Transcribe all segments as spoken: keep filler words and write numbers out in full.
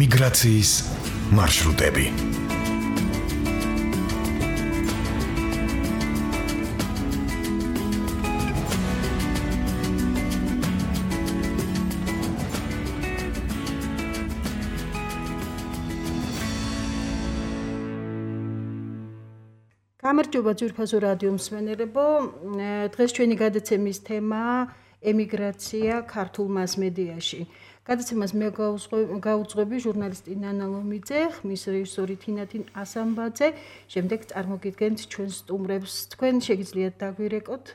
ემიგრაციის მარშრუტები. გამარჯობა ძვირფასო რადიო მსმენელებო, დღეს ჩვენი გადაცემის თემაა ემიგრაცია ქართულ მასმედიაში. გადაცემას მე გავუძღვები ჟურნალისტი ნანა ლომიძე, ხმის რეჟისორი თინათინ ასამბაძე, შემდეგ წარმოგიდგენთ ჩვენს სტუმრებს. თქვენ შეგიძლიათ დაგვირეკოთ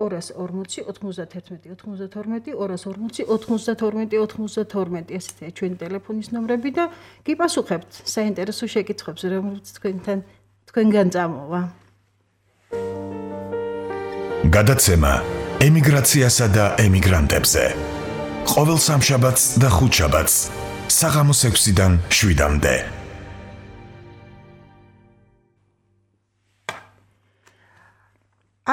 ორას ორმოცი ოთხმოცდათერთმეტი ოცდათორმეტი ორას ორმოცი ოთხმოცდათორმეტი ოცდათორმეტი ესეთია ჩვენი ტელეფონის ნომრები და გიპასუხებთ საინტერესო შეკითხვებს, რომლებიც თქვენთან თქვენგან წამოვა. გადაცემა ემიგრაციასა და ემიგრანტებზე. ყოველ სამშაბათს და ხუთშაბათს საღამოს ექვსიდან შვიდამდე.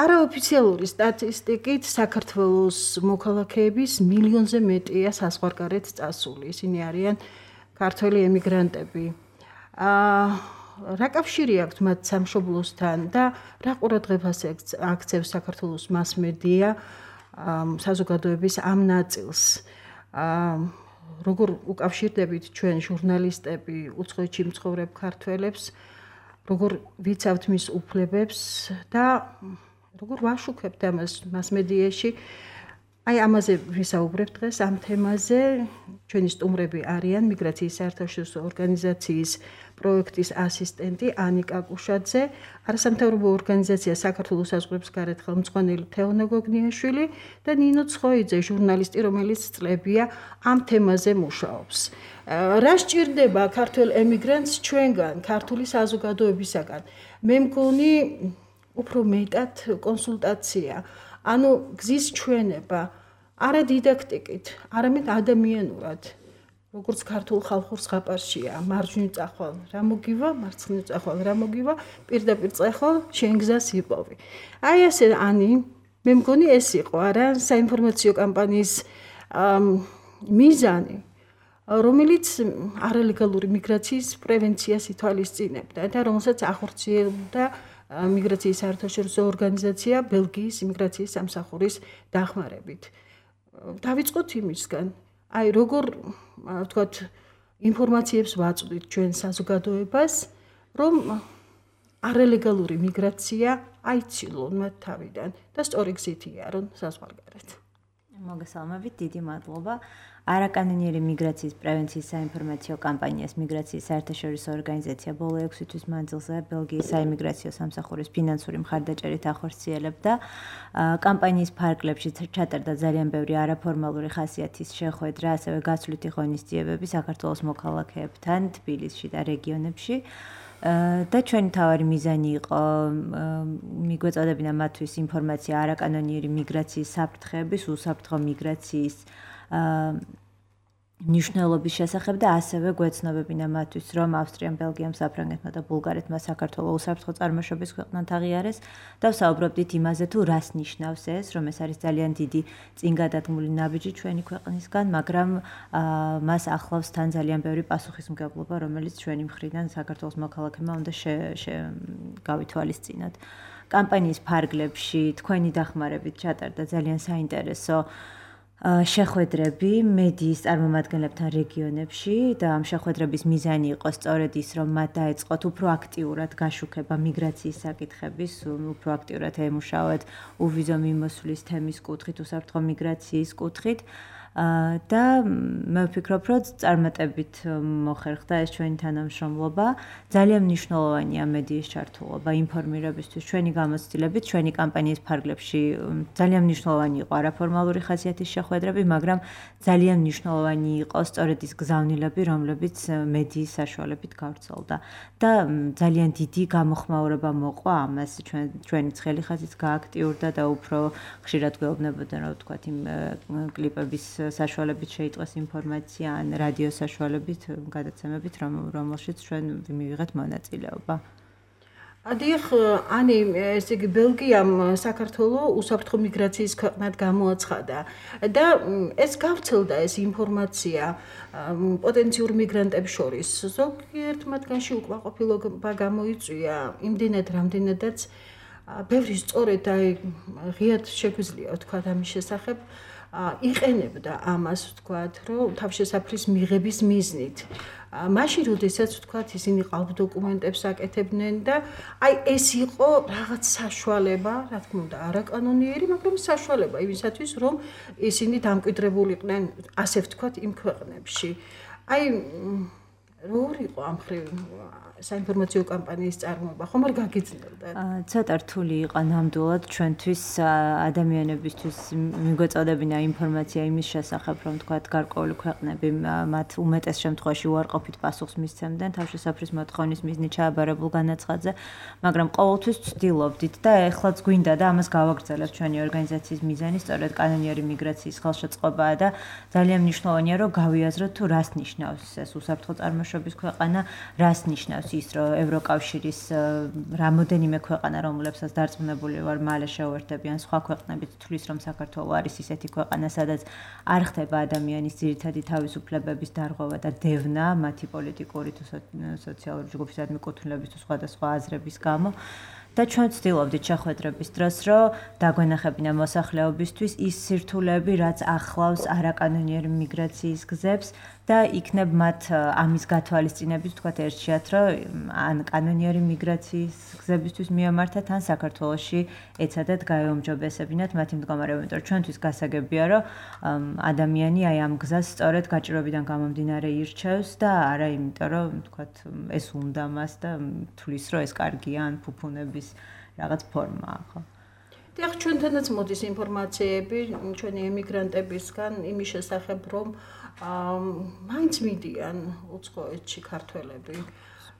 არაოფიციალური სტატისტიკით საქართველოს მოქალაქეების მილიონზე მეტია საზღვარგარეთ წასული. ისინი არიან ქართველი ემიგრანტები. აა რა კავშირი აქვთ მათ სამშობლოსთან და რა ყურადღებას აქცევს საქართველოს მასმედია საზოგადოების ამ ნაწილს. როგორ უკავშირდებით ჩვენ ჟურნალისტები უცხოეთში მცხოვრებ ქართველებს, როგორ ვიცავთ მის უფლებებს და როგორ ვაშუქებთ ამას მასმედიაში. აი ამაზე ვისაუბრებთ დღეს ამ თემაზე. ჩვენი სტუმრები არიან მიგრაციის საერთაშორისო ორგანიზაციის პროექტის ასისტენტი ანიკა კუშაძე, არასამთავრობო ორგანიზაცია საქართველოს საზღვრებს გარეთ ხელმძღვანელი თეონა გოგნიაშვილი და ნინო ცხოიძე, ჟურნალისტი, რომელიც წლებია ამ თემაზე მუშაობს. რა სჭირდება ქართველ ემიგრანტს ჩვენგან, ქართული საზოგადოებისაგან? მე მგონი უფრო მეტად კონსულტაცია, ანუ გზის ჩვენება, არა დიდაქტიკით, არამედ ადამიანურად. როგორც ქართულ ხალხურ ზღაპარშია, მარჯვნივ წახვალ რა მოგივა, მარცხნივ წახვალ რა მოგივა, პირდაპირ წახვალ შენ გზას იპოვი. აი ასე ანი, მე მგონი ეს იყო არა საინფორმაციო კამპანიის მიზანი, რომელიც არალეგალური მიგრაციის პრევენციას ითვალისწინებდა და რომელსაც ახორციელებდა მიგრაციის საერთაშორისო ორგანიზაცია ბელგიის იმიგრაციის სამსახურის დახმარებით. დავიწყოთ იმისგან, აი როგორ ვთქვათ ინფორმაციებს ვაწვდით ჩვენ საზოგადოებას, რომ არალეგალური მიგრაცია აიცილონ მათ თავიდან და სწორი გზით იარონ საზღვარგარეთ. მოგესალმებით, დიდი მადლობა. არაკანონიერი მიგრაციის პრევენციის საინფორმაციო კამპანიას მიგრაციის საერთაშორისო ორგანიზაცია ბოლო ექვსი თვის მანძილზე ბელგიის საიმიგრაციო სამსახურის ფინანსური მხარდაჭერით ახორციელებდა. კამპანიის ფარგლებში ჩატარდა ძალიან ბევრი არაფორმალური ხასიათის შეხვედრა, ასევე გაცვლითი ღონისძიებები საქართველოს მოქალაქეებთან თბილისში და რეგიონებში. და ჩვენი თავარი მიზანი იყო მიგვეწოდებინა მათთვის ინფორმაცია არაკანონიერი მიგრაციის საფრთხეების, უსაფრთხო მიგრაციის ნიშნულობის შესახებ და ასევე გვეცნობებინა მათთვის, რომ ავსტრიამ, ბელგიამ, საფრანგეთმა და ბულგარეთმა საქართველოს უსაფრთხო წარმოშობის ქვეყნად აღიარეს და ვსაუბრობდით იმაზე, თუ რას ნიშნავს ეს, რომ ეს არის ძალიან დიდი წინგადადგმული ნაბიჯი ჩვენი ქვეყნისგან, მაგრამ მას ახლავს თან ძალიან ბევრი პასუხისმგებლობა, რომელიც ჩვენი მხრიდან საქართველოს მოქალაქეებმა უნდა გავითვალისწინოთ. კამპანიის ფარგლებში თქვენი დახმარებით ჩატარდა ძალიან საინტერესო შეხვედრები მედიის წარმომადგენლებთან რეგიონებში და ამ შეხვედრების მიზანი იყო სწორედ ის, რომ მათ დაეწყოთ უფრო აქტიურად გაშუქება მიგრაციის საკითხების, უფრო აქტიურად ემუშაოთ უვიზო მიმოსვლის თემის კუთხით, უსაფრთხო მიგრაციის კუთხით. და მე ვფიქრობ, რომ წარმატებით მოხერხდა ეს ჩვენი თანამშრომლობა. ძალიან მნიშვნელოვანია მედიის ჩართულობა ინფორმირებისთვის, ჩვენი გამოცდილებით, ჩვენი კამპანიის ფარგლებში ძალიან მნიშვნელოვანი იყო არაფორმალური ხასიათის შეხვედრები, მაგრამ ძალიან მნიშვნელოვანი იყო სწორედ ის გზავნილები, რომლებიც მედიის საშუალებით გავრცელდა. და ძალიან დიდი გამოხმაურება მოყვა ამას, ჩვენი ცხელი ხაზიც გააქტიურდა და უფრო ხშირად გვეუბნებოდა, რა ვთქვათ, იმ კლიპების საშუალებით შეიტყვეს ინფორმაცია ან რადიო საშუალებით გადაცემებით, რომელშიც ჩვენ მივიღეთ მონაწილეობა. დიახ, ანი ესე იგი ბელგიამ საქართველოს უსაფრთხო მიგრაციის ქვეყნად გამოაცხადა და ეს გავრცელდა ეს ინფორმაცია პოტენციურ მიგრანტებს შორის. ზოგიერთ მათგანში უკმაყოფილება გამოიწვია იმდენად, რამდენადაც ბევრი სწორედ აი ღიად შეგვიძლია ვთქვათ ამის შესახებ იყენებდა ამას ვთქვათ, რომ თავშესაფრის მიღების მიზნით. მაშინ როდესაც ვთქვათ ისინი ყალბ დოკუმენტებს აკეთებდნენ და აი ეს იყო რაღაც საშუალება, რა თქმა უნდა, არაკანონიერი, მაგრამ საშუალება იმისათვის, რომ ისინი დამკვიდრებულიყვნენ, ასე ვთქვათ, იმ ქვეყნებში. აი როგორ იყო ამ ხრივ საინფორმაციო კამპანიის წარმოება, ხომ არ გაგიძნელდა? ცოტა რთული იყო ნამდვილად ჩვენთვის ადამიანებისთვის მიგვეწოდებინა ინფორმაცია იმის შესახებ, რომ თქვათ გარკვეული ქვეყნები მათ უმეტეს შემთხვევაში უარყოფით პასუხს მისცემდნენ თავშესაფრის მოთხოვნის მიზნით ჩააბარებულ განაცხადზე, მაგრამ ყოველთვის ვცდილობდით და ეხლაც გვინდა და ამას გავაგრძელებთ ჩვენი ორგანიზაციის მიზანი, სწორედ კანონიერი მიგრაციის ხელშეწყობაა და ძალიან მნიშვნელოვანია, რომ გავიაზროთ თუ რას ნიშნავს ეს უსაფრთხო წარმოშობის ქვეყანა, რას ნიშნავს ის რომ ევროკავშირის რამოდენიმე ქვეყანა რომლებსაც დარწმუნებული ვარ მალე შეუერთებიან სხვა ქვეყნებით თვლის რომ საქართველო არის ისეთი ქვეყანა სადაც არ ხდება ადამიანის ძირითადი თავისუფლებების დარღვევა და დევნა მათი პოლიტიკური თუ სოციალური ჯგუფის მიკუთვნილების თუ სხვადასხვა აზრების გამო და ჩვენ ვცდილობდით შეხვედრების დროს რომ დაგვენახებინა მოსახლეობისთვის ის სირთულეები რაც ახლავს არაკანონიერი მიგრაციის გზებს და იქნებ მათ ამის გათვალისწინებით თქვათ ერთშიათ რომ ან კანონიერი მიგრაციის გზებისთვის მიემართათ ან საქართველოში ეცადათ გაეუმჯობესებინათ მათი მდგომარეობა, იმიტომ რომ ჩვენთვის გასაგებია რომ ადამიანი აი ამ გზას სწორედ გაჭირვებიდან გამომდინარე ირჩევს და არა იმიტომ რომ თქვათ ეს უნდა მას და თulis რომ ეს კარგია ან ფუფუნების რაღაც ფორმაა, ხო? დიახ, ჩვენთანაც მოდის ინფორმაციები ჩვენი ემიგრანტებისგან იმის შესახებ, რომ მაინც მიდიან უცხოეთში ქართველები.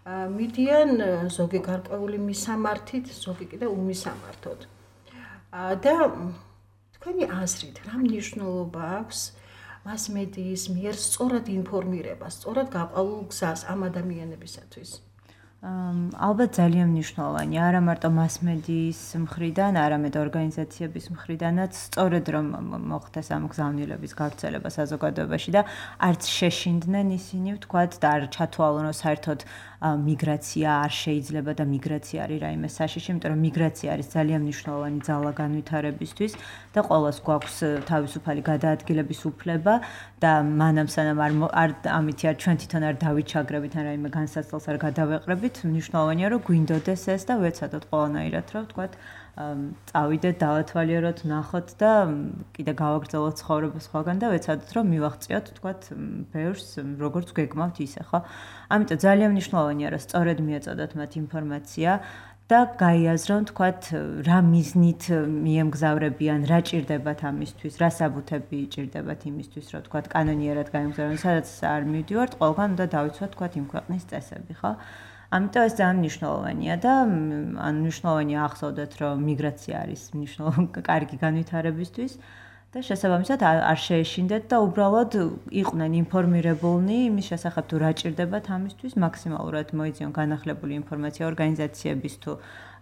მიდიან ზოგი გარკვეული მისამართით, ზოგი კიდე უმისამართოდ. და თქვენი აზრით, რა მნიშვნელობა აქვს მასმედიის მიერ სწორად ინფორმირება, სწორად გაყალულ გზას ამ ადამიანებისათვის? ალბათ ძალიან მნიშვნელოვანია, არა მარტო მასმედიის მხრიდან, არამედ ორგანიზაციების მხრიდანაც, სწორედ რომ მოხდეს ამ გზავნილების გავრცელება საზოგადოებაში და არც შეშინდნენ ისინი, ვთქვათ, და არ ჩათვალონ, რომ საერთოდ მიგრაცია არ შეიძლება და მიგრაცია არის რაიმე საშიში, იმიტომ რომ მიგრაცია არის ძალიან მნიშვნელოვანი ძალა განვითარებისთვის და ყოველს გვაქვს თავისუფალი გადაადგილების უფლება და მანამ სანამ არ ამითი არ ჩვენ თვითონ არ დავიჩაგრებით ან რაიმე განსაცდელს არ გადავეყრებით, მნიშვნელოვანია რომ გვინდოდეს ეს და ვეცადოთ ყველანაირად რომ ვთქვათ წავიდეთ, დავათვალიეროთ, ნახოთ და კიდე გავაგრძელოთ ცხოვრება სხვაგან და ვეცადოთ რომ მივაღწიოთ ვთქვათ ბევრს როგორც გეგმავთ ისე, ხო? ამიტომ ძალიან მნიშვნელოვანია რომ სწორედ მიეწოდოთ მათ ინფორმაცია და გაიაზრონ თქვათ რა მიზნით მიემგზავრებიან, რა ჭირდებათ ამისთვის, რა საბუთები ჭირდებათ იმისთვის, რომ თქვათ კანონიერად გაემგზავრონ, სადაც არ მივდივართ, ყველგან უნდა დავიცვათ თქვათ იმ ქვეყნის წესები, ხო? ამიტომ ეს ძალიან მნიშვნელოვანია და ან მნიშვნელოვანია ახსოვდეთ, რომ მიგრაცია არის მნიშვნელოვანი კარგი განვითარებისთვის და შესაბამისად არ შეეშინდეთ და უბრალოდ იყვნენ ინფორმირებულნი იმის შესახებ თუ რა ჭირდებათ ამისთვის, მაქსიმალურად მოიძიონ განახლებული ინფორმაცია ორგანიზაციების თუ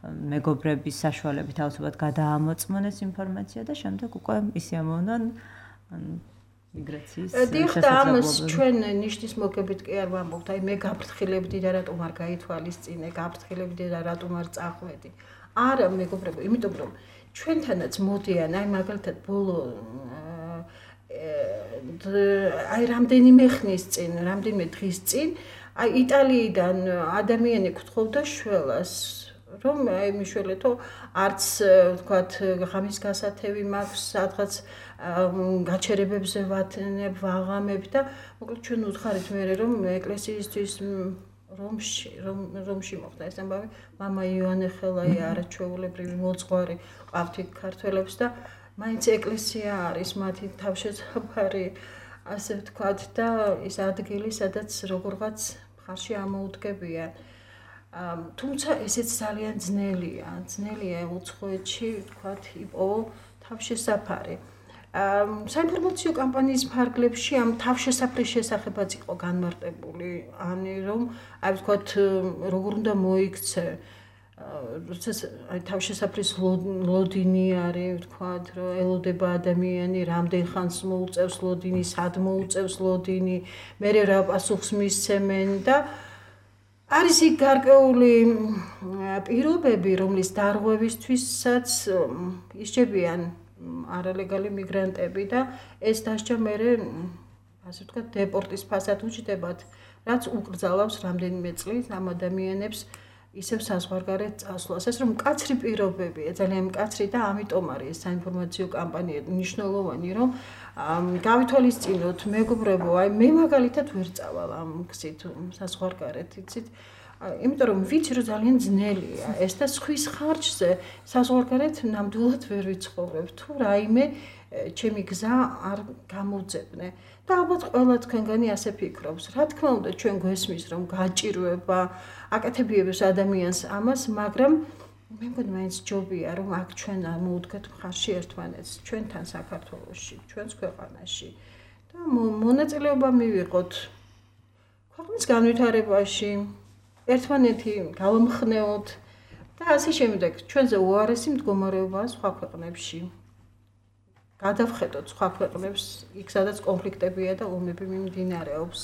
მეგობრების საშუალებით თავისუფლად გადაამოწმონ ეს ინფორმაცია და შემდეგ უკვე ისე ამოვნონ მიგრაციის შესაძლებლობა. ამას ჩვენ ნიშნის მოგებით კი არ ვამბობთ, აი მე გაფრთხილებდი და რატომ არ გაითვალისწინე, გაფრთხილებდი და რატომ არ წახვედი. არა მეგობრებო, იმიტომ რომ ჩვენთანაც მოდიან, აი მაგალითად ბოლო აი რამდენიმე ხნის წინ, რამდენიმე დღის წინ, აი იტალიიდან ადამიანი გთხოვდა შველას, რომ აი მიშველეთო არც ვთქვათ ღამის გასათევი მაქვს, სადღაც გაჩერებებზე ვათნებ, ვაღამებ და მოკლედ ჩვენ უთხარით მე რომ ეკლესიისთვის რომში რომში მოხდა ეს ამბავი, მამა იოანე ხელაი არაჩვეულებრივი მოძღვარი ყავთ ქართველებს და მაინც ეკლესია არის მათი თავშესაფარი, ასე ვთქვათ და ის ადგილი, სადაც როგორღაც მხარში ამოუდგებიან. თუმცა ესეც ძალიან ძნელია, ძნელია უცხოეთში ვთქვათ იპოვო თავშესაფარი. საინფორმაციო კამპანიის ფარგლებში ამ თავშესაფრის შესახებაც იყო განმარტებული, ანუ რომ აი ვთქვათ როგორ უნდა მოიქცე როდესაც აი თავშესაფრის ლოდინი არის, ვთქვათ, რომ ელოდება ადამიანი, რამდენ ხანს მოუწევს ლოდინი, სად მოუწევს ლოდინი, მერე რა პასუხს მისცემენ და არის იქ გარკვეული პირობები, რომლის დარღვევისთვისაც ისჯებიან არალეგალი მიგრანტები და ეს დასჯა მერე ასე ვთქვათ, დეპორტის ფასად უჯდებათ, რაც უკრძალავს რამდენიმე წლის ამ ადამიანებს ისევ საზღვარგარეთ წასვლას. ეს რომ მკაცრი პირობებია, ძალიან მკაცრი და ამიტომ არის ეს საინფორმაციო კამპანია მნიშვნელოვანი, რომ გავითვალისწინოთ, მეგობრებო, აი მე მაგალითად ვერ წავალ ამ გზით საზღვარგარეთ, იცით? იმიტომ რომ ვიცი რომ ძალიან ძნელია ეს და სხვის ხარჯზე საზღვარგარეთ ნამდვილად ვერ ვიცხოვრებ. თუ რაიმე ჩემი გზა არ გამოძებნე. და ალბათ ყველა თქვენგანი ასე ფიქრობს. რა თქმა უნდა, ჩვენ გვესმის რომ გაჭირვება, აკეთებიებს ადამიანს ამას, მაგრამ მე მგონი მაინც ჯობია რომ აქ ჩვენ მოვუდგეთ მხარში ერთმანეთს, ჩვენთან საქართველოში, ჩვენს ქვეყანაში და მონაწილეობა მივიღოთ ქვეყნის განვითარებაში, ერთმანეთი გავამხნეოთ და ასე შემდეგ. ჩვენზე უარესი მდგომარეობაა სხვა ქვეყნებში. გადავხედოთ სხვა ქვეყნებს, იქ სადაც კონფლიქტებია და ომები მიმდინარეობს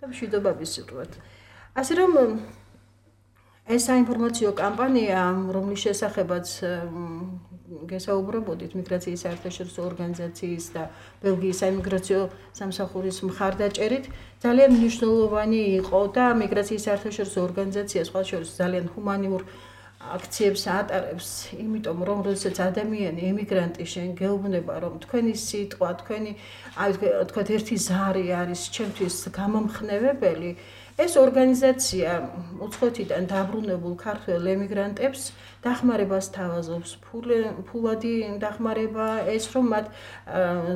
და მშვიდობა ვისურვოთ. ასე რომ ეს საინფორმაციო კამპანია, რომლის შესახებაც გესაუბრებოდით მიგრაციის საერთაშორისო ორგანიზაციის და ბელგიის საიმიგრაციო სამსახურის მხარდაჭერით, ძალიან მნიშვნელოვანი იყო და მიგრაციის საერთაშორისო ორგანიზაცია სხვა შორის ძალიან ჰუმანიურ აქციებს ატარებს, იმიტომ რომ როდესაც ადამიანი ემიგრანტი შენ გეუბნება რომ თქვენი სიტყვა, თქვენი აი თქვათ ერთი ზარი არის ჩემთვის გამომხნევებელი, ეს ორგანიზაცია უცხოეთიდან დაბრუნებულ ქართველ ემიგრანტებს დახმარებას თავაზობს, ფულადი დახმარება, ეს რომ მათ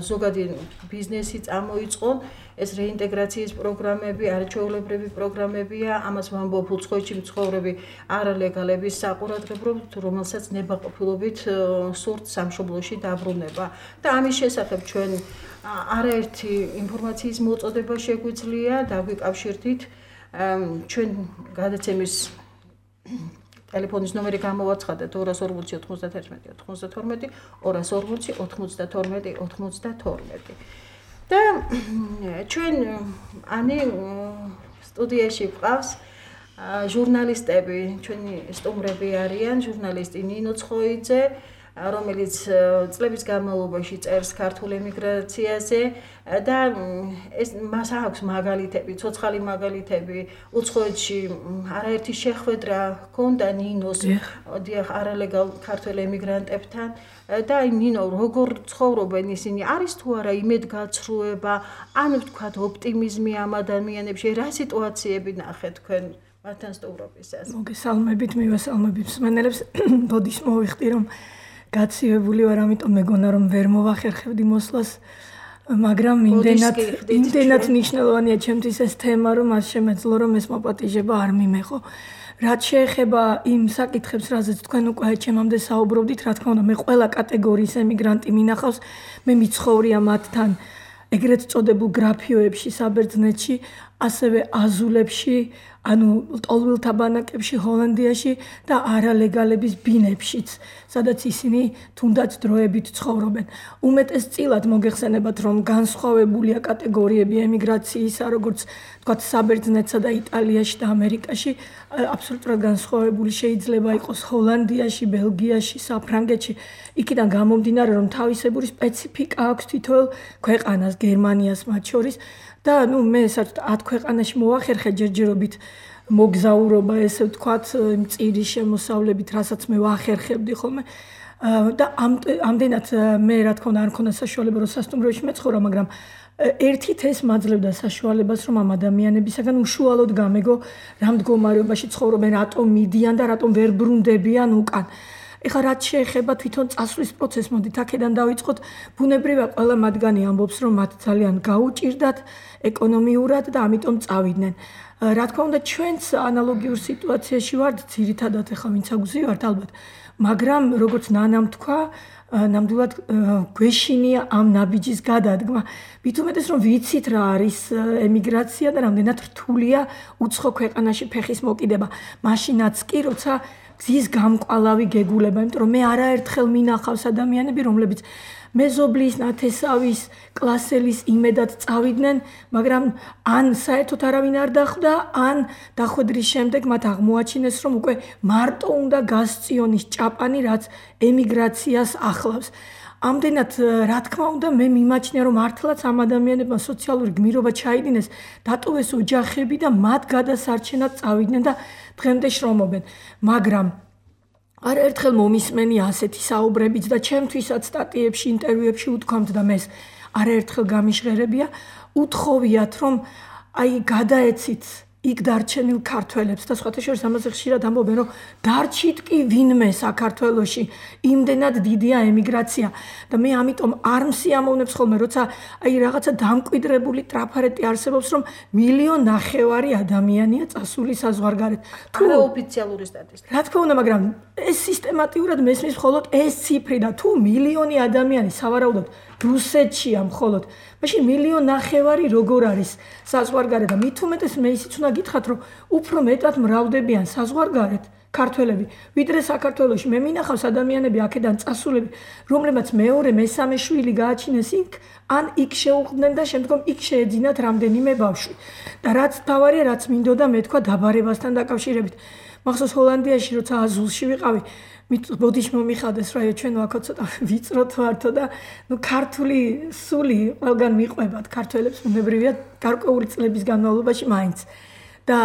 ზოგადი ბიზნესი წამოიწყონ, ეს რეინტეგრაციის პროგრამები, არაჩვეულებრივი პროგრამებია, ამას ვამბობ უცხოეთში მცხოვრები არალეგალების საყურადღებლოდ, რომელსაც ნებაყოფილობით სურთ სამშობლოში დაბრუნება. და ამის შესახებ ჩვენ არაერთი ინფორმაციის მოწოდება შეგვიძლია, დაგვიკავშირდით ჩვენ გადაცემის ტელეფონის ნომერი გამოვაცხადეთ ორას ორმოცი ოთხმოცდათერთმეტი ოთხმოცდათორმეტი, ორას ორმოცი ოთხმოცდათორმეტი ოთხმოცდათორმეტი. და ჩვენ ანი სტუდიაში ვყავს ჟურნალისტები, ჩვენი სტუმრები არიან, ჟურნალისტი ნინო ცხოიძე, რომელიც წლების განმავლობაში წერს ქართულ ემიგრაციაზე და ეს მას აქვს მაგალითები, ცოცხალი მაგალითები, უცხოეთში არაერთი შეხვედრა ჰქონდა ნინოს, დიახ, არალეგალ ქართველ ემიგრანტებთან და აი ნინო, როგორ ცხოვრობენ ისინი, არის თუ არა იმედგაცრუება, ან ვთქვათ ოპტიმიზმი ამ ადამიანებში, რა სიტუაციები ნახეთ თქვენ მათთან სტუმრობისას? მოგესალმებით, მივესალმებით მსმენელებს, ბოდის მოვიხდი რომ გაცივებული ვარ, ამიტომ მეგონა რომ ვერ მოვახერხებდი მოსვლას, მაგრამ იმდენად იმდენად მნიშვნელოვანია ჩემთვის ეს თემა, რომ არ შემეძლო რომ ეს მოპატიჟება არ მიმეღო. რაც შეეხება იმ საკითხებს, რაზეც თქვენ უკვე ჩემამდე საუბრობდით, რა თქმა უნდა, მე ყველა კატეგორიის ემიგრანტი მინახავს, მე მიცხოვრია მათთან ეგრეთ წოდებულ გრაფიოებში საბერძნეთში, ასევე აზულებში, ანუ ტოლვილთა ბანაკებში ჰოლანდიაში და არალეგალების ბინებშიც, სადაც ისინი თუნდაც დროებით ცხოვრობენ. უმეტესწილად მოგეხსენებათ, რომ განსხვავებულია კატეგორიები ემიგრაციისა, როგორც თქვათ საბერძნეთსა და იტალიაში და ამერიკაში, აბსოლუტურად განსხვავებული შეიძლება იყოს ჰოლანდიაში, ბელგიაში, საფრანგეთში. იქიდან გამომდინარე, რომ თავისებური სპეციფიკა აქვს თითოეულ ქვეყანას, გერმანიას მათ შორის. და ნუ მე საერთოდ ათ ქვეყანაში მოვახერხე ჯერჯერობით მოგზაურობა, ესე ვთქვათ, მწირი შემოსავლებით, რასაც მე ვახერხებდი ხოლმე. და ამდენად მე რა თქმა უნდა არ მქონდა საშუალება რომ სასტუმროში მეცხოვრა, მაგრამ ერთით ეს მაძლევდა საშუალებას, რომ ამ ადამიანებისაგან უშუალოდ გამეგო რა მდგომარეობაში ცხოვრობენ, რატომ მიდიან და რატომ ვერ ბრუნდებიან უკან. ეხლა რაც შეეხება თვითონ წასვლის პროცესს, მოდით აქედან დავიწყოთ. ბუნებრივია ყველა მათგანი ამბობს, რომ მათ ძალიან გაუჭირდათ ეკონომიურად და ამიტომ წავიდნენ. რა თქმა უნდა, ჩვენც ანალოგიურ სიტუაციაში ვართ, ძირითადად ეხლა ვინც აგვზივართ ალბათ. მაგრამ როგორც ნანამ თქვა, ნამდვილად გვეშინია ამ ნაბიჯის გადადგმა. მით უმეტეს რომ ვიცით რა არის ემიგრაცია და რამდენად რთულია უცხო ქვეყანაში ფეხის მოკიდება. მაშინაც კი როცა გზის გამყვალავი გეგულება, იმიტომ რომ მე არაერთხელ მინახავს ადამიანები, რომლებიც მეზობლის, ნათესავის, კლასელის იმედად წავიდნენ, მაგრამ ან საერთოდ არავინ არ დახვდა, ან დახვედრის შემდეგ მათ აღმოაჩინეს, რომ უკვე მარტო უნდა გასწიონის ჭაპანი, რაც ემიგრაციას ახლავს. ამდენად, რა თქმა უნდა, მე მიმაჩნია, რომ მართლაც ამ ადამიანებმა სოციალური გმირობა ჩაიდინეს, დატოვეს ოჯახები და მათ გადასარჩენად წავიდნენ და დღემდე შრომობენ. მაგრამ არაერთხელ მომისმენი ასეთი საუბრებიც და ჩემთვისაც სტატიებში, ინტერვიუებში უთქვამთ და მე არაერთხელ გამიჟღერებია, უთხოვიათ, რომ აი გადაეცით იქ დარჩენილ ქართველებს და სხვათა შორის ამაზე ხშირად ამბობენ, რომ დარჩით კი ვინმე საქართველოში, იმდენად დიდია ემიგრაცია და მე ამიტომ არ მსიამოვნებს ხოლმე, როცა აი რაღაცა დამკვიდრებული ტრაფარეტი არსებობს, რომ მილიონ ნახევარი ადამიანია წასული საზღვარგარეთ. თუ ოფიციალური სტატისტიკა. რა თქმა უნდა, მაგრამ ეს სისტემატიურად მესმის მხოლოდ ეს ციფრი და თუ მილიონი ადამიანი სავარაუდოდ რუსეთშია მხოლოდ. მაშინ მილიონ ნახევარი როგორ არის საზღვარგარეთ და მით უმეტეს მე ისიც უნდა გითხრათ, რომ უფრო მეტად მრავლდებიან საზღვარგარეთ ქართველები, ვიდრე საქართველოში. მე მინახავს ადამიანები აქედან წასულები, რომლებმაც მეორე, მესამე შვილი გააჩინეს იქ, ან იქ შეუხდნენ და შემდგომ იქ შეეძინათ რამდენიმე ბავშვი. და რაც თავარია, რაც მინდოდა მე თქვა დაბარებასთან დაკავშირებით. მახსოვს ჰოლანდიაში როცა აზულში ვიყავი, ბოდიში მომიხადეს რა ჩვენ ვაქო ცოტა ვიწროთ ვართო და ნუ ქართული სული ყველგან მიყვებათ ქართველებს უნებრივია გარკვეული წლების განმავლობაში მაინც და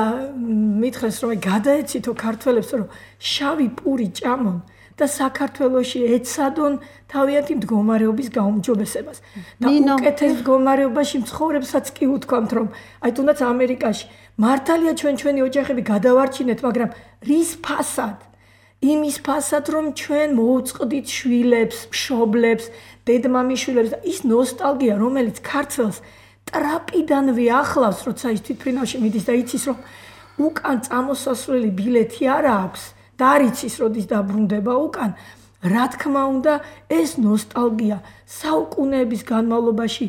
მითხრეს რომ გადაეცითო ქართველებს რომ შავი პური ჭამონ და საქართველოში ეცადონ თავიანთი მდგომარეობის გაუმჯობესებას და უკეთეს მდგომარეობაში მცხოვრებსაც კი უთქვამთ რომ აი თუნდაც ამერიკაში მართალია ჩვენ ჩვენი ოჯახები გადავარჩინეთ მაგრამ რის ფასად იმის ფასად რომ ჩვენ მოუწყდით შვილებს, მშობლებს, დედმამიშვილებს და ის ნოსტალგია რომელიც ქართველს ტრაპიდანვე ახლავს როცა ის თვითფრინავში მიდის და იცის რომ უკან წამოსასვლელი ბილეთი არ აქვს და არ იცის როდის დაბრუნდება უკან რა თქმა უნდა ეს ნოსტალგია საუკუნეების განმავლობაში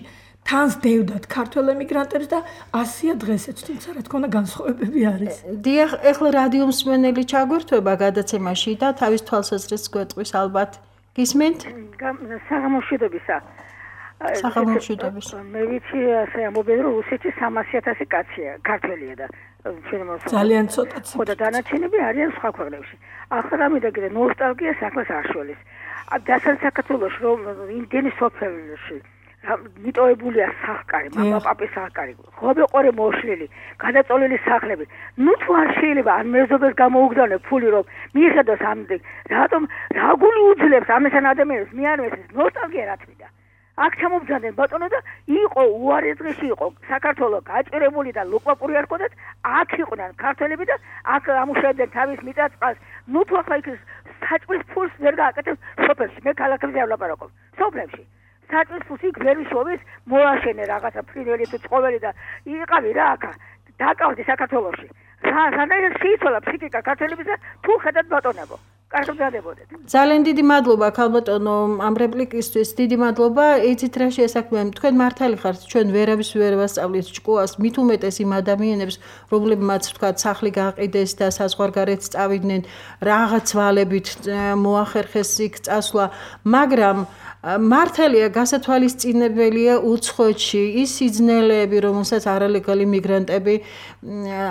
თანს დევდათ ქართველ ემიგრანტებს და ასია დღესაც თუმცა რა თქმა უნდა განსხვავებები არის. დიახ, ეხლა რადიო მსმენელი ჩაგვირთვება გადაცემაში და თავის თვალსაზრისს გვეტყვის ალბათ. გისმენთ? საღამოშვიდობისა. საღამოშვიდობისა. მე ვიცი ასე ამბობენ რომ რუსეთში სამასი ათასი კაცია, ქართველია და ჩვენ მოსახლეობა. ძალიან ცოტაც. ხო და დანარჩენები არიან სხვა ქვეყნებში. ახლა რამე და კიდე ნოსტალგია საქმეს არ შველის. დასავლეთ საქართველოში რომ იმდენი სოფელში მიტოვებულია სახკარი, მამა პაპის სახკარი, ხობეყორი მოშლილი, გადაწოლილი სახლები. ნუ თუ არ შეიძლება ამ მეზობელს გამოუგზავნე ფული რომ მიიღოს ამდენ, რატომ რა გული უძლებს ამესან ადამიანებს მიარვეს ნოსტალგია რა თვიდა. აქ ჩამობძანდნენ ბატონო და იყო უარი დღეში იყო საქართველოს გაჭირებული და ლუყვაპური არ ქონდათ, აქ იყვნენ ქართველები და აქ ამუშავებდნენ თავის მიწა-წყალს. ნუ თუ ახლა იქ საჭმლის ფულს ვერ გააკეთებს სოფელში, მე ქალაქებზე არ ვლაპარაკობ. სოფლებში საჭმლის ფულს იქ ვერ ვიშოვის, მოაშენე რაღაცა ფრინველი თუ ცხოველი და იყავი რა აქა. დაკავდი საქართველოში. რა რანაირად შეიცვალა ფსიქიკა ქართველებისა თუ ხედავთ ბატონებო. კარგად ძალიან დიდი მადლობა ქალბატონო ამ რეპლიკისთვის დიდი მადლობა იცით რა შეესაქმეა თქვენ მართალი ხართ ჩვენ ვერავის ვერ ვასწავლით ჭკუას მით უმეტეს იმ ადამიანებს რომლებმაც თქვა სახლი გაყიდეს და საზღვარგარეთ წავიდნენ რაღაც ვალებით მოახერხეს იქ წასვლა მაგრამ მართალია გასათვალისწინებელია უცხოეთში ის სიძნელეები რომელსაც არალეგალი მიგრანტები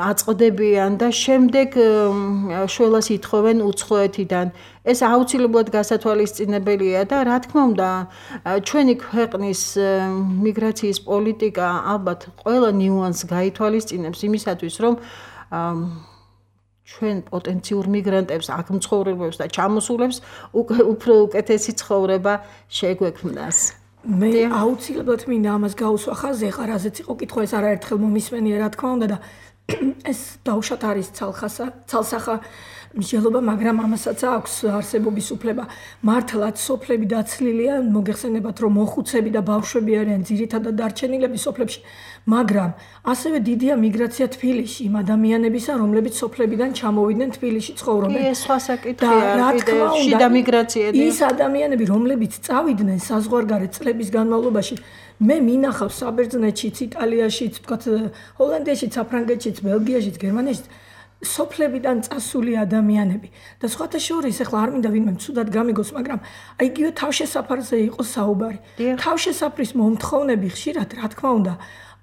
აწყდებიან და შემდეგ შველას ითხოვენ უცხოეთიდან ეს აუცილებლად გასათვალისწინებელია და რა თქმა უნდა ჩვენი ქვეყნის მიგრაციის პოლიტიკა ალბათ ყველა ნიუანსს გაითვალისწინებს იმისათვის რომ ჩვენ პოტენციურ მიგრანტებს აქ მცხოვრებებს და ჩამოსულებს უფრო უკეთესი ცხოვრება შეგვექმნას. მე აუცილებლად მინდა ამას გაუსვა ხაზზე, ხა რაზეც იყო კითხვა ეს არაერთხელ მომისმენია რა თქმა უნდა და ეს დაუშვათ არის ცალხასა, ცალსახა მსჯელობა, მაგრამ ამასაც აქვს არსებობის უფლება. მართლაც სოფლები დაცლილია, მოგეხსენებათ, რომ მოხუცები და ბავშვები არიან ძირითადად დარჩენილები სოფლებში, მაგრამ ასევე დიდია მიგრაცია თბილისში, იმ ადამიანებისა, რომლებიც სოფლებიდან ჩამოვიდნენ თბილისში ცხოვრობენ. ეს სხვა საკითხია, კიდევ შიდა მიგრაცია. ის ადამიანები, რომლებიც წავიდნენ საზღვარგარეთ წლების განმავლობაში, მე მინახავს საბერძნეთშიც, იტალიაშიც, თქვათ ჰოლანდიაშიც, საფრანგეთშიც, ბელგიაშიც, გერმანიაშიც სოფლებიდან წასული ადამიანები და სხვათა შორის ახლა არ მინდა ვინმე ცუდად გამიგოს, მაგრამ აი იგივე თავშესაფარზე იყო საუბარი. თავშესაფრის მომთხოვნები ხშირად, რა თქმა უნდა,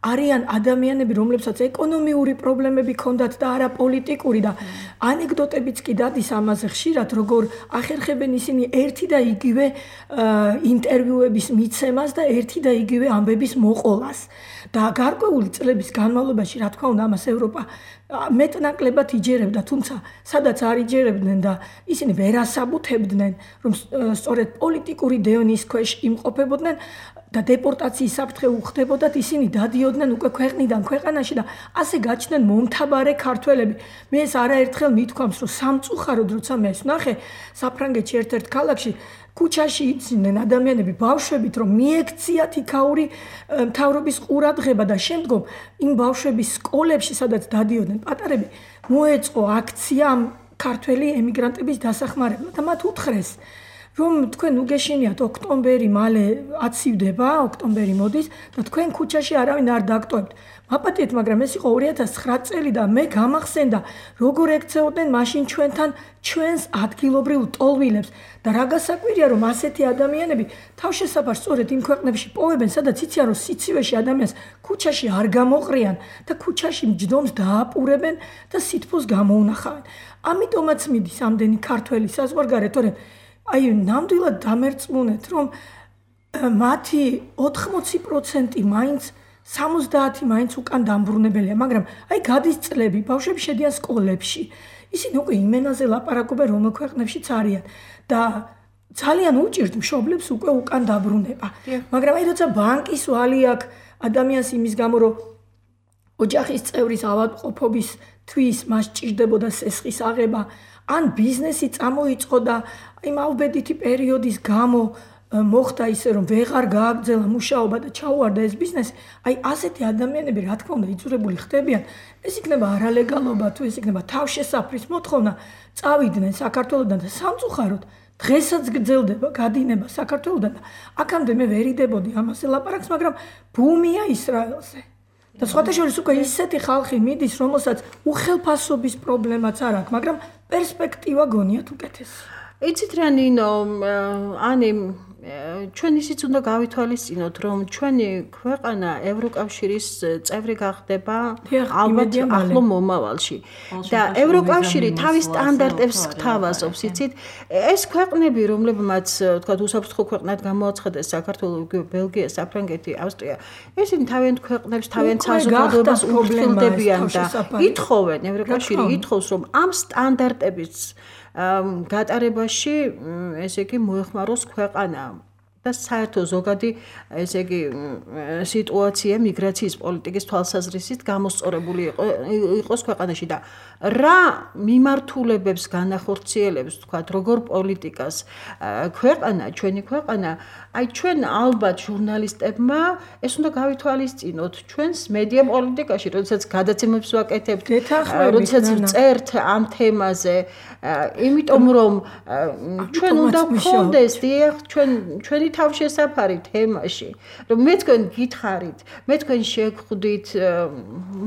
არიან ადამიანები, რომლებსაც ეკონომიური პრობლემები ჰქონდათ და არა პოლიტიკური და ანეკდოტებიც კი დადის ამაზე ხშირად, როგორ ახერხებენ ისინი ერთი და იგივე ინტერვიუების მიცემას და ერთი და იგივე ამბების მოყოლას. და გარკვეული წლების განმავლობაში, რა თქმა უნდა, ამას ევროპა მეტნაკლებად იჯერებდა, თუმცა სადაც არ იჯერებდნენ და ისინი ვერ ასაბუთებდნენ, რომ სწორედ პოლიტიკური დევნის ქვეშ იმყოფებოდნენ და დეპორტაციის საფრთხე უხდებოდათ, ისინი დადიოდნენ უკვე ქვეყნიდან ქვეყანაში და ასე გაჩნდნენ მომთაბარე ქართველები. მე ეს არაერთხელ მithქვამს, რომ სამწუხაროდ როცა მე ეს ვნახე საფრანგეთში ერთ-ერთ ქალაქში ქუჩაში იცინდნენ ადამიანები ბავშვებით, რომ მიექციათ იქაური მთავრობის ყურადღება და შემდგომ იმ ბავშვების სკოლებში, სადაც დადიოდნენ პატარები, მოეწყო აქცია ამ ქართველი ემიგრანტების დასახმარებლად და მათ უთხრეს, რომ თქვენ უგეშინიათ ოქტომბერი მალე აცივდება, ოქტომბერი მოდის და თქვენ ქუჩაში არავინ არ დაგტოვებთ. მაპატიეთ, მაგრამ ეს იყო ორი ათას ცხრა წელი და მე გამახსენდა, როგორ ექცეოდნენ მაშინ ჩვენთან ჩვენს ადგილობრივ ტოლვილებს და რა გასაკვირია, რომ ასეთი ადამიანები თავშესაფარს სწორედ იმ ქვეყნებში პოვებენ, სადაც იციან, რომ სიცივეში ადამიანს ქუჩაში არ გამოყრიან და ქუჩაში მჯდომს დააპურებენ და სითბოს გამოუნახავენ. ამიტომაც მიდის ამდენი ქართველი საზღვარგარეთ, თორემ აი ნამდვილად დამერწმუნეთ, რომ მათი ოთხმოცი პროცენტი მაინც სამოცდაათი მაინც უკან დამბრუნებელია, მაგრამ აი გადის წლები, ბავშვები შედიან სკოლებში. ისინი უკვე იმენაზე ლაპარაკობენ, რომელ ქვეყნებშიც არიან და ძალიან უჭირთ მშობლებს უკვე უკან დაბრუნება. მაგრამ აი როცა ბანკის ვალი აქვს ადამიანს იმის გამო, რომ ოჯახის წევრის ავადმყოფობის თვის მას ჭირდებოდა სესხის აღება, ან ბიზნესი წამოიწყო და აი მავბედითი პერიოდის გამო მოხდა ისე, რომ ვეღარ გააგრძელა მუშაობა და ჩაუვარდა ეს ბიზნესი, აი ასეთი ადამიანები, რა თქმა უნდა, იძულებული ხდებიან, ეს იქნება არალეგალობა თუ ეს იქნება თავშესაფრის მოთხოვნა, წავიდნენ საქართველოდან და სამწუხაროდ დღესაც გრძელდება გადინება საქართველოდან და აქამდე მე ვერ იდებოდი ამაზე ლაპარაკს, მაგრამ ბუმია ისრაელზე. და სხვათა შორის უკვე ისეთი ხალხი მიდის, რომელსაც უხელფასობის პრობლემაც არ აქვს, მაგრამ პერსპექტივა გონიათ უკეთესი. იცით რა ნინო, ანი ჩვენ ისიც უნდა გავითვალისწინოთ, რომ ჩვენი ქვეყანა ევროკავშირის წევრი გახდება ალბათ ახლო მომავალში. და ევროკავშირი თავის სტანდარტებს გთავაზობს, იცით? ეს ქვეყნები, რომლებმაც, თქვათ, უსაფრთხო ქვეყნად გამოაცხადეს საქართველო, ბელგია, საფრანგეთი, ავსტრია, ესენი თავიანთ ქვეყნებს, თავიანთ საზოგადოებას უფრთხილდებიან და ითხოვენ, ევროკავშირი ითხოვს, რომ ამ სტანდარტების გატარებაში ესე იგი მოეხმაროს ქვეყანა და საერთო ზოგადი ესე იგი სიტუაცია მიგრაციის პოლიტიკის თვალსაზრისით გამოსწორებული იყოს ქვეყანაში და რა მიმართულებებს განახორციელებს თქვათ როგორ პოლიტიკას ქვეყანა ჩვენი ქვეყანა აი ჩვენ ალბათ ჟურნალისტებმა ეს უნდა გავითვალისწინოთ ჩვენს მედია პოლიტიკაში როდესაც გადაცემებს ვაკეთებთ როდესაც წერთ ამ თემაზე იმიტომ რომ ჩვენ უნდა გქონდეს დიახ ჩვენ ჩვენი თავშესაფარი თემაში რომ მე თქვენ გითხარით მე თქვენ შეგხვდით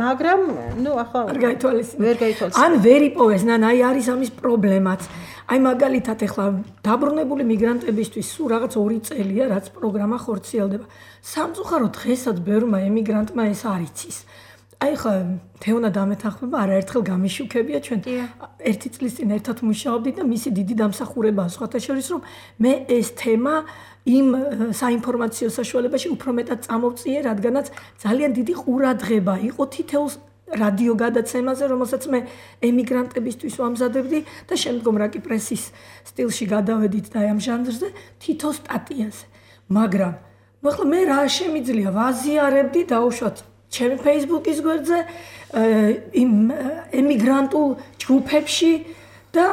მაგრამ ნუ ახლა ვერ გაითვალისწინეთ ვერ გაითვალისწინეთ ან ვერ იპოვეს ნანა აი არის ამის პრობლემაც აი მაგალითად ახლა დაბრუნებული მიგრანტებისთვის სულ რაღაც ორი წელია რაც პროგრამა ხორციელდება სამწუხაროდ დღესაც ბევრმა ემიგრანტმა ეს არ იცის აი ხა თეონა დამეთანხმება არაერთხელ გამიშუქებია ჩვენ ერთი წლის წინ ერთად მუშაობდით და მისი დიდი დამსახურებაა სხვათა შორის რომ მე ეს თემა იმ საინფორმაციო საშუალებაში უფრო მეტად წამოვწიე რადგანაც ძალიან დიდი ყურადღება იყო თითოეულ რადიო გადაცემაზე რომელსაც მე ემიგრანტებისთვის ვამზადებდი და შემდგომ რა კი პრესის სტილში გადავედით და ამ ჟანრზე თითო სტატიაზე მაგრამ ნუ ახლა მე რა შემიძლია ვაზიარებდი დაუშვათ ჩემი Facebook-ის გვერდზე, იმ ემიგრანტულ ჯგუფებში და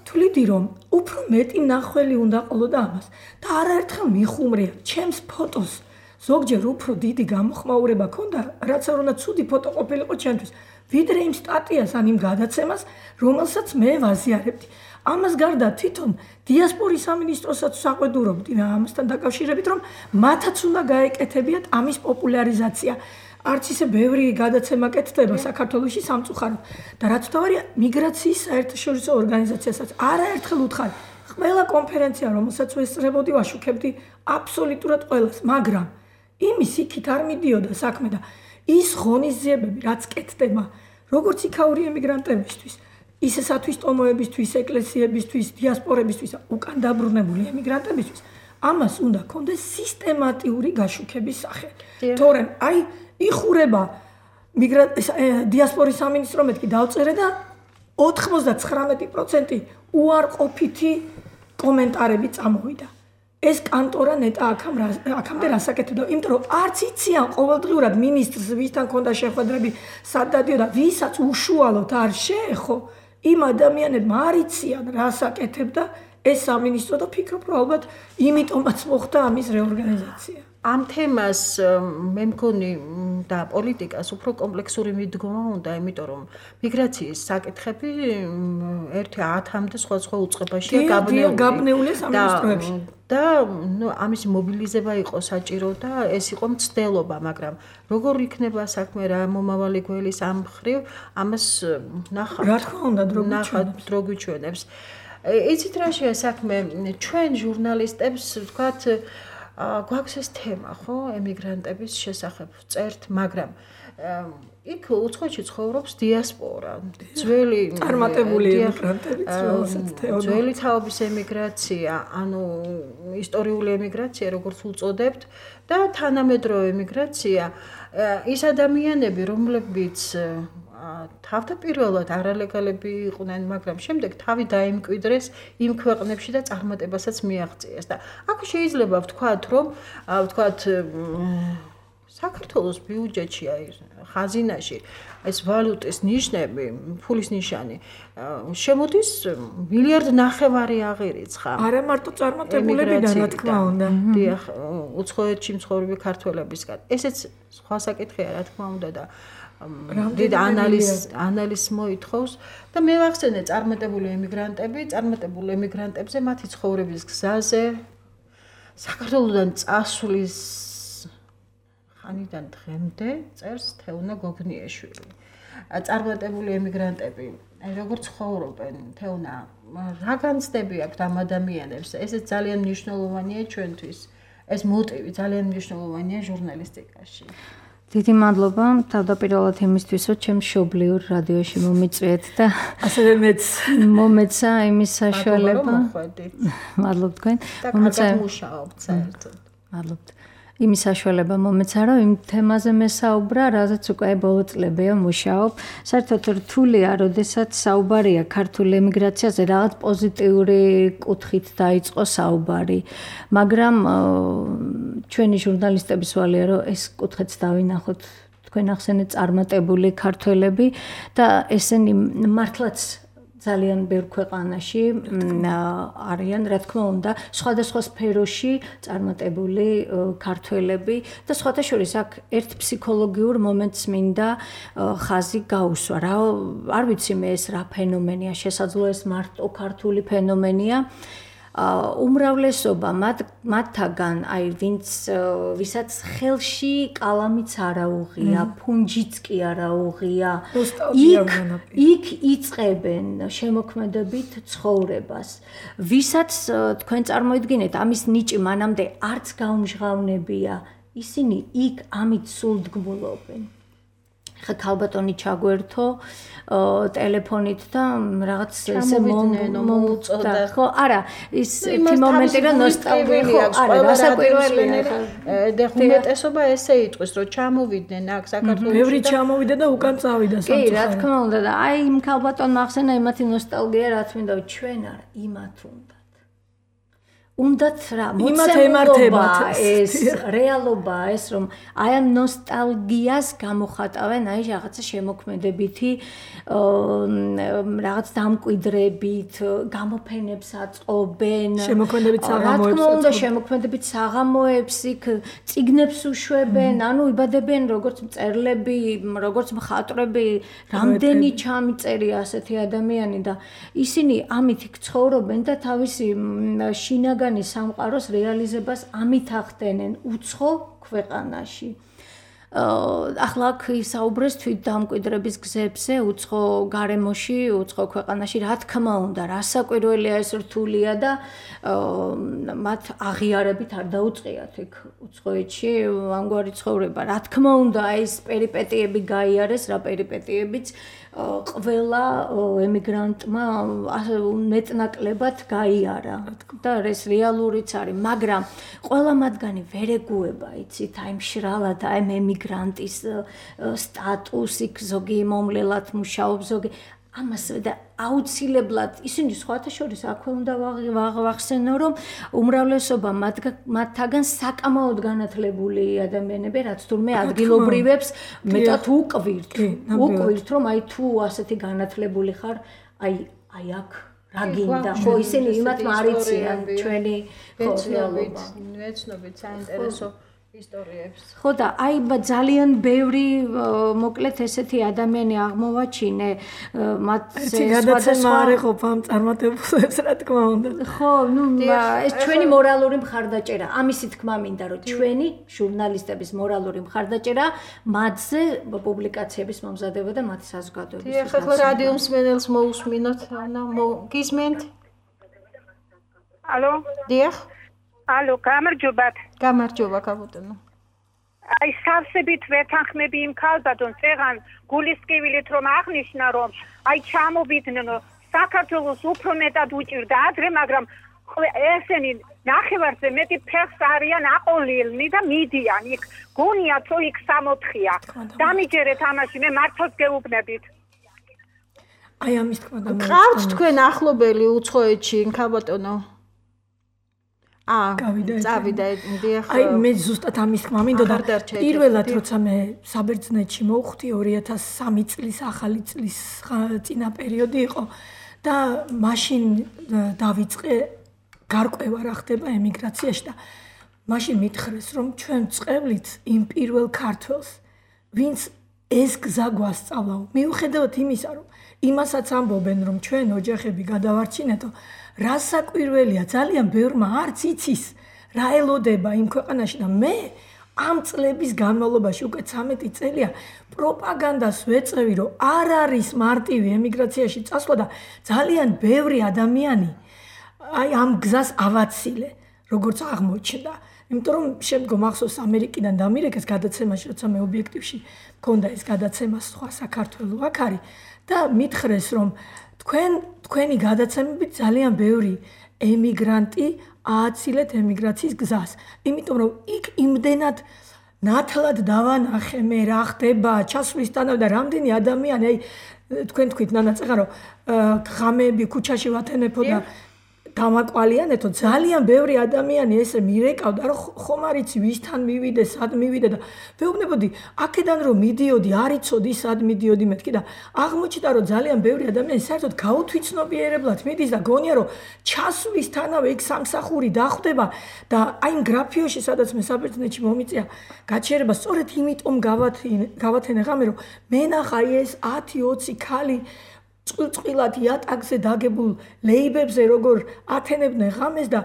თვლიდი რომ უფრო მეტი ნახველი უნდა ყოლოდა ამას და არაერთხელ მიხუმრია ჩემს ფოტოს ზოგჯერ უფრო დიდი გამოხმაურება ქონდა რაც არ უნდა ცუდი ფოტო ყოფილიყო ჩემთვის ვიდრე იმ სტატიას ან იმ გადაცემას რომელსაც მე ვაზიარებდი ამას გარდა თვითონ დიასპორის სამინისტროსაც საყვედურობდი ამასთან დაკავშირებით რომ მათაც უნდა გაეკეთებიათ ამის პოპულარიზაცია არც ისე ბევრი გადაცემა კეთდება საქართველოში სამწუხაროდ და რაც თავარია მიგრაციის საერთაშორისო ორგანიზაციასაც არაერთხელ უთხარი ყველა კონფერენცია რომელსაც ვესწრებოდი ვაშუქებდი აბსოლუტურად ყველას მაგრამ იმის იქით არ მიდიოდა საქმე და ის ღონისძიებები რაც კეთდება როგორც იქაური ემიგრანტებისთვის ისე სათვისტომოებისთვის ეკლესიებისთვის დიასპორებისთვის უკან დაბრუნებული ემიგრანტებისთვის ამას უნდა კონდეს სისტემატიური გაშუქების სახე თორემ აი იხურება დიასპორის სამინისტრო მეთქი დავწერე და ოთხმოცდათხრამეტი პროცენტი უარყოფითი კომენტარები წამოვიდა. ეს კანტორა ნეტა აქამდე რასაკეთებდა, იმიტომ რომ არც იციან ყოველდღიურად მინისტრს ვისთან ქონდა შეხვედრები, სად დადიოდა, ვისაც უშუალოდ არ შეეხო, იმ ადამიანებმა არ იციან რასაკეთებდა ეს სამინისტრო და ფიქრობ რომ ალბათ იმიტომაც მოხდა ამის რეორგანიზაცია. ამ თემას მე მგონი და პოლიტიკას უფრო კომპლექსური მიდგომა უნდა, იმიტომ რომ მიგრაციის საკითხები ერთი ათამდე სხვადასხვა უწყებაშია გაბნეული სამინისტროებში. და ნუ ამის მობილიზება იყო საჭირო და ეს იყო მცდელობა, მაგრამ როგორ იქნება საქმე რა მომავალი გველის ამ მხრივ, ამას ნახავთ. რა თქმა უნდა, დრო გვიჩვენებს. იცით რა შეა საქმე, ჩვენ ჟურნალისტებს ვთქვათ გვაქვს ეს თემა, ხო, ემიგრანტების შესახებ წერთ, მაგრამ იქ უცხოეთში ცხოვრობს დიასპორა, ძველი წარმატებული ემიგრანტებიც, რომელსაც თეოდო. ძველი თაობის ემიგრაცია, ანუ ისტორიული ემიგრაცია, როგორც უწოდებთ, და თანამედროვე ემიგრაცია, ის ადამიანები, რომლებიც თავდაპირველად არალეგალები იყვნენ, მაგრამ შემდეგ თავი დაიმკვიდრეს იმ ქვეყნებში და წარმატებასაც მიაღწიეს და აქ შეიძლება ვთქვათ, რომ ვთქვათ საქართველოს ბიუჯეტში აი ხაზინაში ეს ვალუტის ნიშნები, ფულის ნიშანი შემოდის მილიარდ ნახევარი აღირიცხა. არა მარტო წარმატებულებიდან, რა თქმა უნდა. დიახ, უცხოეთში მცხოვრები ქართველებისგან. ესეც სხვა საკითხია, რა თქმა უნდა და დიდ ანალიზ ანალიზ მოითხოვს და მე ვახსენე წარმატებული ემიგრანტები, წარმატებული ემიგრანტებზე მათი ცხოვრების გზაზე საქართველოსდან წასვლის ხანიდან დღემდე წერს თეუნა გოგნიაშვილი. წარმატებული ემიგრანტები, აი როგორ ცხოვრობენ, თეუნა, რა განცდები აქვთ ამ ადამიანებს? ესეც ძალიან მნიშვნელოვანია ჩვენთვის. ეს მოტივი ძალიან მნიშვნელოვანია ჟურნალისტიკაში. დიდი მადლობა თავდაპირველად იმისთვის, რომ ჩემ მშობლიურ რადიოში მომიწვიეთ და ასევე მეც მომეცა იმის საშუალება. მადლობ თქვენ. მომეცა მუშაობთ საერთოდ. მადლობთ. იმის საშუალება მომეცა, რომ იმ თემაზე მესაუბრა, რაზეც უკვე ბოლო წლებია მუშაობ. საერთოდ რთულია, როდესაც საუბარია ქართული ემიგრაციაზე, რაღაც პოზიტიური კუთხით დაიწყო საუბარი. მაგრამ ჩვენი ჟურნალისტების ვალია, რომ ეს კუთხეც დავინახოთ. თქვენ ახსენეთ წარმატებული ქართველები და ესენი მართლაც ძალიან ბევრ ქვეყანაში არიან, რა თქმა უნდა, სხვადასხვა სფეროში წარმატებული ქართველები და სხვათა შორის აქ ერთ ფსიქოლოგიურ მომენტს მინდა ხაზი გაუსვა. რა არ ვიცი მე ეს რა ფენომენია, შესაძლოა ეს მარტო ქართული ფენომენია. უმრავლესობა მათ მათთაგან აი ვინც ვისაც ხელში კალამიც არ აუღია, ფუნჯიც კი არ აუღია, იქ იქ იწყებენ შემოქმედებით ცხოვრებას. ვისაც თქვენ წარმოიდგინეთ, ამის ნიჭი მანამდე არც გაუმჟღავნებია, ისინი იქ ამით სულდგმულობენ. ხა ქალბატონი ჩაგვერთო ტელეფონით და რაღაც ესე მოუწოდა. ხო, არა, ის ერთი მომენტი რომ ნოსტალგია ხო, არა, რასაკვირველია. და უმეტესობა ესე იტყვის, რომ ჩამოვიდნენ აქ საქართველოში. ბევრი ჩამოვიდა და უკან წავიდა კი, სამწუხაროდ. რა თქმა უნდა და აი იმ ქალბატონმა ახსენა იმათი ნოსტალგია, რაც მინდა ჩვენ არა, იმათ უნდათ. უნდათ რა მოცემულობა ეს რეალობა ეს რომ აი ამ ნოსტალგიას გამოხატავენ აი რაღაცა შემოქმედებითი რაღაც დამკვიდრებით გამოფენებს აწყობენ შემოქმედებით საღამოებს რა თქმა უნდა შემოქმედებით საღამოებს იქ წიგნებს უშვებენ ანუ იბადებიან როგორც მწერლები როგორც მხატვრები რამდენი ჩამიწერია ასეთი ადამიანი და ისინი ამით იქ ცხოვრობენ და თავისი შინაგანი სამყაროს რეალიზებას ამით ახდენენ უცხო ქვეყანაში. ახლა აქ ისაუბრეს თვით დამკვიდრების გზებზე, უცხო გარემოში, უცხო ქვეყანაში, რა თქმა უნდა, რასაკვირველია ეს რთულია და მათ აღიარებით არ დაუწყიათ იქ უცხოეთში ამგვარი ცხოვრება. რა თქმა უნდა, ეს პერიპეტიები გაიარეს, რა პერიპეტიებიც ყველა ემიგრანტმა მეტნაკლებად გაიარა და ეს რეალურიც არის, მაგრამ ყველა მათგანი ვერ ეგუება, იცით, აი მშრალად, აი ემიგრანტის სტატუსი, ზოგი მომლელად მუშაობს, ზოგი ამას და აუცილებლად ისინი სხვათა შორის აქვე უნდა ვახსენო, რომ უმრავლესობა მათთაგან საკამაოდ განათლებული ადამიანები, რაც თურმე ადგილობრივებს მეტად უყვირთ. უყვირთ, რომ აი თუ ასეთი განათლებული ხარ, აი აი აქ რა გინდა, ხო ისინი იმათ მარიციან ჩვენი რეალობა. ვეცნობით საინტერესო ისტორიებს. ხო და აი ძალიან ბევრი მოკლედ ესეთი ადამიანი აღმოვაჩინე მათ სხვადასხვა არ ეყოფ ამ წარმატებულებს რა თქმა უნდა. ხო, ნუ ეს ჩვენი მორალური მხარდაჭერა. ამისი თქმა მინდა რომ ჩვენი ჟურნალისტების მორალური მხარდაჭერა მათზე პუბლიკაციების მომზადება და მათი საზოგადოების. დიახ, ახლა რადიო მსმენელს მოусმინოთ, ანა გისმენთ? ალო? დიახ. ალო, გამარჯობათ. გამარჯობა, კაპიტანო. აი, სავსებით ვეთანხმები იმ ქალბატონს, წეღან გულისკივილით რომ აღნიშნა, რომ აი ჩამოვიდნენ, საქართველოს უფრო მეტად უჭირდა ადრე, მაგრამ ესენი ნახევარზე მეტი ფეხს არიან აყოლილნი და მიდიან იქ. გონიათ, რომ იქ სამოთხია. დამიჯერეთ ამაში, მე მართლაც გეუბნებით. აი ამის თქმა და ყავთ თქვენ ახლობელი უცხოეთში, ქალბატონო? აა, წავიდა, დიახ. აი, მე ზუსტად ამის თქმა მინდოდა. პირველად როცა მე საბერძნეთში მოვხვდი ორი ათას სამი წლის ახალი წლის წინა პერიოდი იყო და მაშინ დავიწყე გარკვევა რა ხდება ემიგრაციაში და მაშინ მითხრეს რომ ჩვენ წევლით იმ პირველ ქართველს, ვინც ეს გზა გვასწავლა. მიუხედავად იმისა, რომ იმასაც ამბობენ, რომ ჩვენ ოჯახები გადავარჩინეთო, რასაკვირველია, ძალიან ბევრმა არც იცის, რა ელოდება იმ ქვეყანაში და მე ამ წლების განმავლობაში უკვე ცამეტი წელია პროპაგანდას ვეწევი, რომ არ არის მარტივი ემიგრაციაში წასვლა და ძალიან ბევრი ადამიანი აი ამ გზას ავაცილე, როგორც აღმოჩნდა. იმიტომ რომ შემდგომ ახსოვს ამერიკიდან დამირეკეს გადაცემაში, როცა მე ობიექტივში მქონდა ეს გადაცემა სხვა საქართველოს აქ არის და მითხრეს რომ თქვენ თქვენი გადაცემებით ძალიან ბევრი ემიგრანტი ააცილეთ ემიგრაციის გზას. იმიტომ რომ იქ იმდენად ნათლად დავანახე მე რა ხდება ჩასვლისთანავე და რამდენი ადამიანი აი თქვენ თქვით ნანა წეღარო ღამეები ქუჩაში ვათენებო და დამაკვალიანეთო ძალიან ბევრი ადამიანი ესე მირეკავდა რომ ხომ არიცი ვისთან მივიდე სად მივიდე და ვეუბნებოდი აქედან რომ მიდიოდი არ იცოდი სად მიდიოდი მეთქი და აღმოჩნდა რომ ძალიან ბევრი ადამიანი საერთოდ გაუთვითცნობიერებლად მიდის და გონია რომ ჩასვლისთანავე იქ სამსახური დახვდება და აი იმ გრაფიოში სადაც მე საბერძნეთში მომიწია გაჩერება სწორედ იმიტომ გავათენე ღამე რომ მე ნახა ეს ათი ოცი ქალი წყვილად იატაკზე დაგებულ ლეიბებზე როგორ ათენებდნენ ღამეს და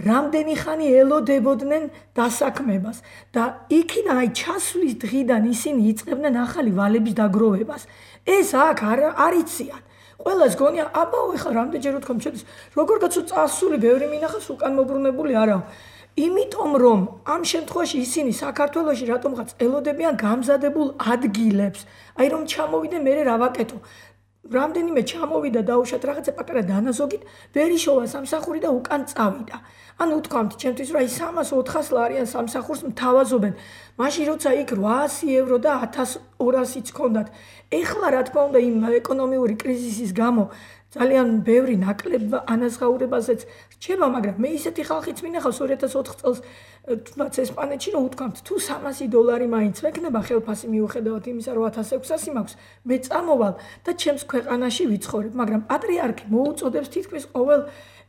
რამდენი ხანი ელოდებოდნენ დასაქმებას და იქიდან აი ჩასვლის დღიდან ისინი იწყებდნენ ახალი ვალების დაგროვებას. ეს აქ არ არიციან. ყველას გონია აბაო ეხლა რამდენჯერ ვთქვა შედის როგორ კაცო წასული ბევრი მინახავს უკან მობრუნებული არაო. იმიტომ რომ ამ შემთხვევაში ისინი საქართველოში რატომღაც ელოდებიან გამზადებულ ადგილებს. აი რომ ჩამოვიდე მე რა ვაკეთო. რამდენიმე ჩამოვიდა დაუშვათ რაღაცა პატარა დანაზოგით, ვერ იშოვა სამსახური და უკან წავიდა. ანუ ვთქვამთ, ჩემთვის რა ის სამას ოთხას ლარიან სამსახურს მთავაზობენ. მაშინ როცა იქ რვაასი ევრო და ათას ორასიც ჰქონდათ. ეხლა რა თქმა უნდა იმ ეკონომიური კრიზისის გამო ძალიან ბევრი ნაკლებ ანაზღაურებაზეც რჩება, მაგრამ მე ისეთი ხალხიც მინახავს ორი ათას ოთხ წელს თუნდაც ესპანეთში რომ უთქვამთ თუ სამასი დოლარი მაინც მექნება ხელფასი მიუხედავად იმისა რომ ათას ექვსასი მაქვს მე წამოვალ და ჩემს ქვეყანაში ვიცხოვრებ, მაგრამ პატრიარქი მოუწოდებს თითქმის ყოველ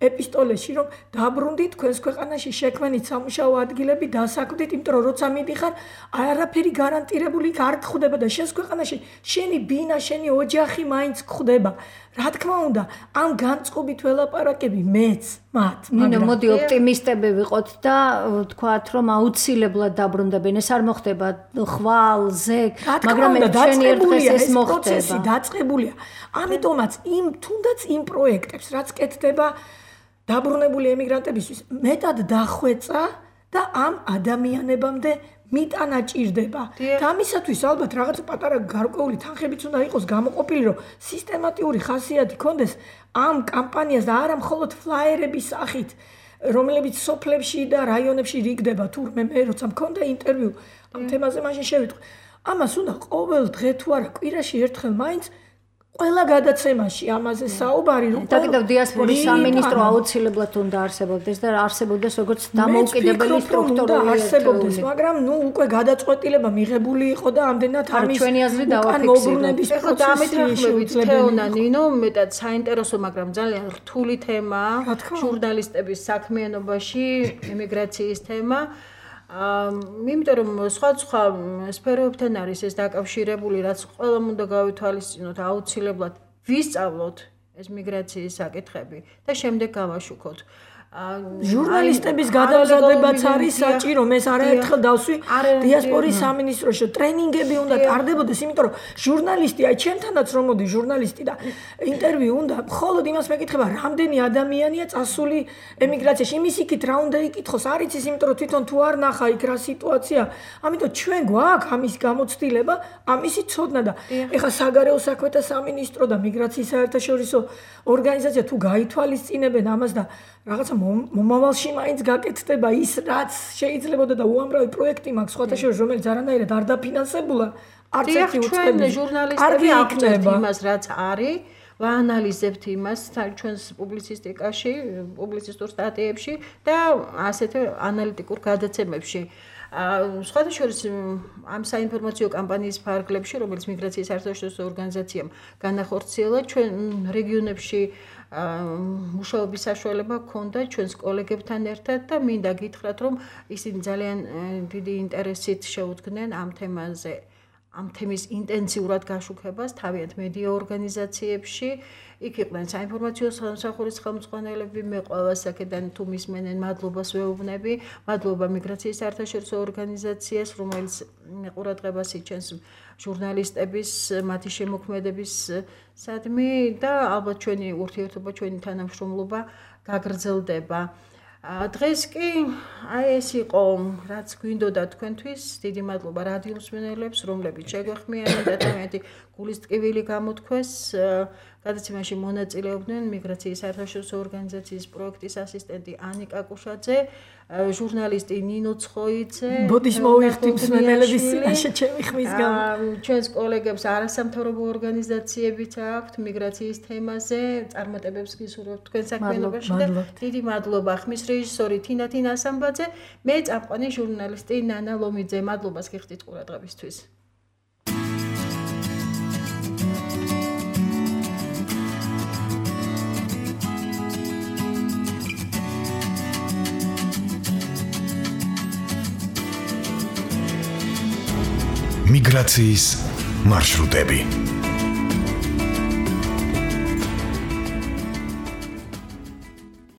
ეპისტოლეში რომ დაბრუნდით თქვენს ქვეყანაში შექმნით სამუშაო ადგილები დასაქმდით, იმიტომ რომ როცა მიდიხარ არაფერი გარანტირებული არ გხვდება და შენს ქვეყანაში შენი ბინა, შენი ოჯახი მაინც გხვდება. რა თქმა უნდა, ამ განწყობით ველაპარაკები მეც მათ. ნინო, მოდი ოპტიმისტები ვიყოთ და ვთქვათ, რომ აუცილებლად დაბრუნდებენ. ეს არ მოხდება ხვალ, ზეგ, მაგრამ ჩვენი ერთხელ ეს მოხდება. დაწყებულია. ამიტომაც იმ თუნდაც იმ პროექტებს, რაც კეთდება დაბრუნებული ემიგრანტებისთვის, მეტად დახვეწა და ამ ადამიანებამდე მიტანა ჭირდება. და ამისათვის ალბათ რაღაც პატარა გარკვეული თანხებიც უნდა იყოს გამოყოფილი, რომ სისტემატიური ხასიათი ქონდეს ამ კამპანიას და არა მხოლოდ ფლაიერების სახით, რომლებიც სოფლებში და რაიონებში რიგდება. თურმე მე როცა მქონდა ინტერვიუ ამ თემაზე მაშინ შევიტყვი. ამას უნდა ყოველ დღე თუ არა კვირაში ერთხელ მაინც ყველა გადაცემაში ამაზე საუბარი რომ და კიდევ დიასპორის სამინისტრო აუცილებლად უნდა არსებობდეს და არსებობდეს როგორც დამოუკიდებელი სტრუქტურული არსებობდეს, მაგრამ ნუ უკვე გადაწყვეტილება მიღებული იყო და ამდენად ამის ჩვენი აზრი დავაფიქსიროთ. ეხლა დამეთანხმებით თეონა ნინო, მეტად საინტერესო, მაგრამ ძალიან რთული თემაა ჟურნალისტების საქმიანობაში ემიგრაციის თემა. იმიტომ რომ სხვადასხვა სფეროებთან არის ეს დაკავშირებული, რაც ყველამ უნდა გავითვალისწინოთ, აუცილებლად ვისწავლოთ ეს მიგრაციის საკითხები და შემდეგ გავაშუქოთ. ჟურნალისტების გადამზადებაც არის საჭირო, მე არაერთხელ დავსვი დიასპორის სამინისტროში, ტრენინგები უნდა ტარდებოდეს, იმიტომ რომ ჟურნალისტი, აი ჩემთანაც რომ მოდი ჟურნალისტი და ინტერვიუ უნდა, მხოლოდ იმას მეკითხება, რამდენი ადამიანია წასული ემიგრაციაში, იმის იქით რა უნდა იკითხოს, არ იცის, იმიტომ რომ თვითონ თუ არ ნახა იქ რა სიტუაცია, ამიტომ ჩვენ გვაქვს ამის გამოცდილება, ამისი ცოდნა და ეხლა საგარეო საქმეთა სამინისტრო და მიგრაციის საერთაშორისო ორგანიზაცია თუ გაითვალისწინებენ ამას და რაღაცა მომავალში მაინც გაკეთდება ის, რაც შეიძლებოდა და უამრავი პროექტი მაქვს სხვათა შორის, რომელიც არანაირად არ დაფინანსებულა, არც ერთი უწყებია. ჟურნალისტები აღვნიშნებთ იმას, რაც არის, ვაანალიზებთ იმას ჩვენს პუბლიცისტიკაში, პუბლიცისტურ სტატიებში და ასეთ ანალიტიკურ გადაცემებში. სხვათა შორის ამ საინფორმაციო კამპანიის ფარგლებში, რომელიც მიგრაციის საერთაშორისო ორგანიზაციამ განახორციელა, ჩვენ რეგიონებში მუშაობის საშუალება ჰქონდა ჩვენს კოლეგებთან ერთად და მინდა გითხრათ, რომ ისინი ძალიან დიდი ინტერესით შეუდგნენ ამ თემაზე, ამ თემის ინტენსიურად გაშუქებას თავიანთ მედია ორგანიზაციებში. იქ იყვნენ საინფორმაციო სამსახურის ხელმძღვანელები, მე ყველას აქედან თუ მისმენენ მადლობას ვეუბნები, მადლობა მიგრაციის საერთაშორისო ორგანიზაციას, რომელიც ყურადღებას იჩენს ჟურნალისტების, მათი შემოქმედების სადმი და ალბათ ჩვენი ურთიერთობა, ჩვენი თანამშრომლობა გაგრძელდება. დღეს კი აი ეს იყო, რაც გვინდოდა თქვენთვის. დიდი მადლობა რადიო მსმენელებს, რომლებიც შეგვეხმიანეთ და თქვენი გულის ტკივილი გამოთქვეს. გადაცემაში მონაწილეობდნენ მიგრაციის საერთაშორისო ორგანიზაციის პროექტის ასისტენტი ანიკა კუშაძე, ჟურნალისტი ნინო ცხოიძე, ბოდიშ მოვიხდი მსმენელების წინაშე ჩემი ხმის გამო. ჩვენს კოლეგებს არასამთავრობო ორგანიზაციებიც აქვთ მიგრაციის თემაზე, წარმატებებს გისურვებთ თქვენ საქმიანობაში და დიდი მადლობა ხმის რეჟისორი თინა თინასამბაძე, მე წამყვანი ჟურნალისტი ნანა ლომიძე. მადლობას გიხდით ყურადღებისთვის. მიგრაციის მარშრუტები.